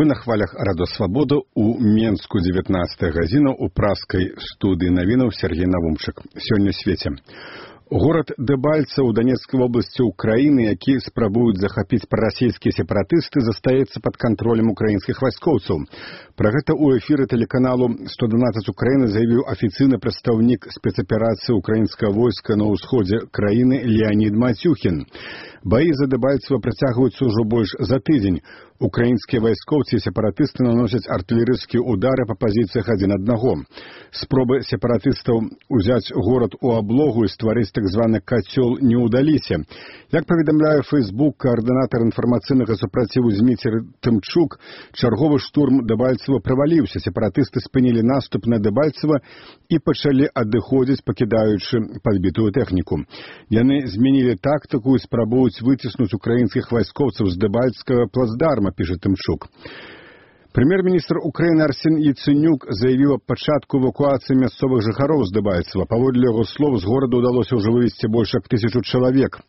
Вы на хвалях Радо Свабода у Менску 19 гадзіна у праскай студыі навінаў Сергей Навумчык. Сёння свеце. Горад Дэбальцаў у Донецкай вобласці Украіны, які спрабуюць захапіць прарасійскія сепаратысты, застаецца пад кантролем украінскіх вайскоўцаў. Пра гэта ў эфіры тэлеканалу 112 Украіны заявіў афіцыйны прадстаўнік спецаперацыі украінскага войска на ўсходзе краіны Леонід Матюхін. Баі за Дэбальцева працягваюцца ўжо больш за тыдзень. Украінскія вайскоўцы і сепаратысты наносяць артылерыйскія удары па пазіцыях адзін аднаго. Спробы сепаратыстаў узяць горад у аблогу і стварыць так званы кацёл не ўдаліся. Як паведамляе Фейсбук, каардынатар інфармацыйнага супраціву Зміцер Тымчук, чарговы штурм Дэбальцева праваліўся. Сепаратысты спынілі наступ на Дэбальцева і пачалі адыходзіць, пакідаючы падбітую тэхніку. Яны змянілі тактыку і спрабуюць выціснуць украінскіх вайскоўцаў з Дэбальцкага плацдарма, піша Тымчук. Прэм'ер-міністр Украіны Арсен Яценюк заявіў аб пачатку эвакуацыі мясцовых жыхароў з Дэбальцева. Паводле яго слоў, з горада ўдалося ўжо вывезці больш як 1000 чалавек.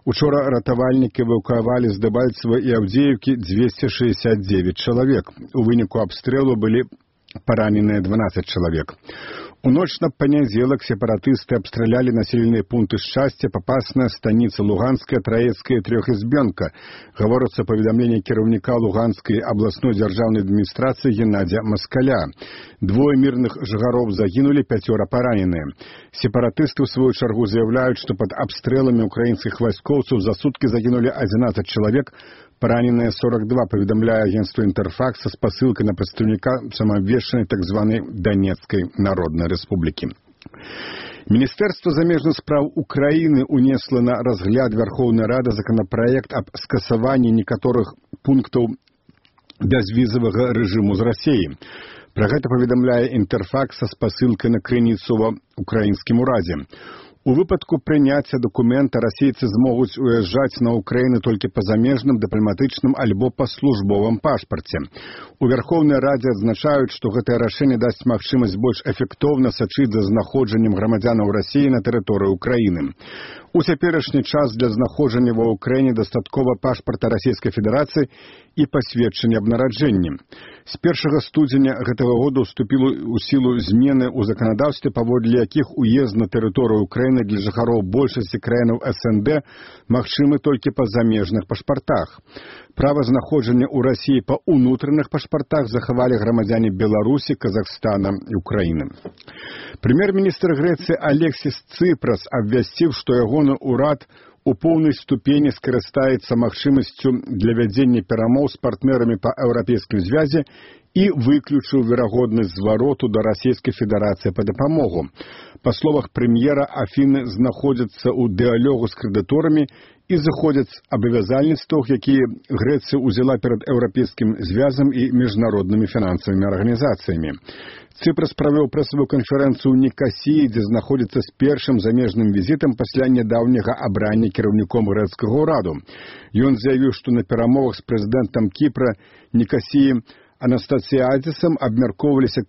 Учора ратавальнікі эвакуавалі з Дэбальцева і Аўдзеевкі 269 чалавек. У выніку абстрэлу былі параненыя 12 чалавек. У ноч на панядзелак сепаратысты абстралялі населеныя пункты Шчасця, Папасная, Станіца Луганская, Траецкая, Трёхізбёнка. Гаворыцца паведамленне кіраўніка Луганскай абласной дзяржаўнай адміністрацыі Геннадзя Маскаля. 2 мірных жыхароў загінулі, 5 параненыя. Сепаратысты ў сваю чаргу заяўляюць, што пад абстрэламі украінскіх вайскоўцаў за суткі загінулі 11 чалавек, параненыя 42, паведамляе агенцтва Інтэрфакс са спасылкай на прадстаўніка самаабвешчанай так званай Донецкай Народнай Рэспублікі. Міністэрства замежных спраў Украіны унесла на разгляд Верхоўнай Рады законапраект аб скасаванні некаторых пунктаў бязвізавага рэжыму з Расіі. Пра гэта паведамляе Інтэрфакс са спасылкай на крыніцу ва ўкраінскім урадзе. У выпадку прыняцця дакумента расейцы змогуць уязджаць на Украіну толькі па замежным, дыпламатычным альбо па службовым пашпарце. У Верхоўнай Радзе адзначаюць, што гэтае рашэнне дасць магчымасць больш эфектыўна сачыць за знаходжаннем грамадзянаў Расіі на тэрыторыі Украіны. У цяперашні час для знаходжання ва Ўкраіне дастаткова пашпарта Расійскай Федэрацыі і пасведчання аб нараджэнні. З 1 студзеня гэтага года ўступілі ў сілу змены ў заканадаўстве, паводле якіх уезд на тэрыторыю Украіны для жыхароў большасці краінаў СНД магчымы толькі па замежных пашпартах. Права знаходжання ў Расіі па ўнутраных пашпартах захавалі грамадзяне Беларусі, Казахстана і Украіны. Прэм'ер-міністр Грэцыі Алексіс Цыпрас абвясціў, што ягоны ўрад у поўнай ступені скарыстаецца магчымасцю для вядзення перамоў з партнёрамі па еўрапейскай звязе і выключыў верагоднасць звароту да Расійскай Федэрацыі па дапамогу. Па словах прэм'ера, Афіны знаходзяцца ў дыалогу з крэдыторамі і заходзяць абавязальніцтвах, якія Грэцыя ўзяла перад еўрапейскім звязам і міжнароднымі фінансавымі арганізацыямі. Цыпрас правёў прэсавую канферэнцыю ў Нікасіі, дзе знаходзіцца з першым замежным візітам пасля нядаўняга абрання кіраўніком грэцкага ўраду. Ён заявіў, што на перамовах з прэзідэнтам Кіпра Нікасіі Анастасіадзісам абмяркоўваліся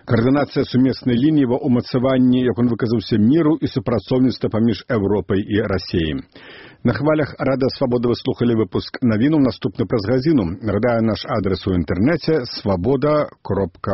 каардынацыя сумеснай лініі ва ўмацаванні, як он выказаўся, міру і супрацоўніцтва паміж Еўропай і Расіяй. На хвалях Рада Свабода вы слухалі выпуск навінаў, наступны праз гадзіну. Нагадаю, наш адрес у інтэрнэце свабода.орг.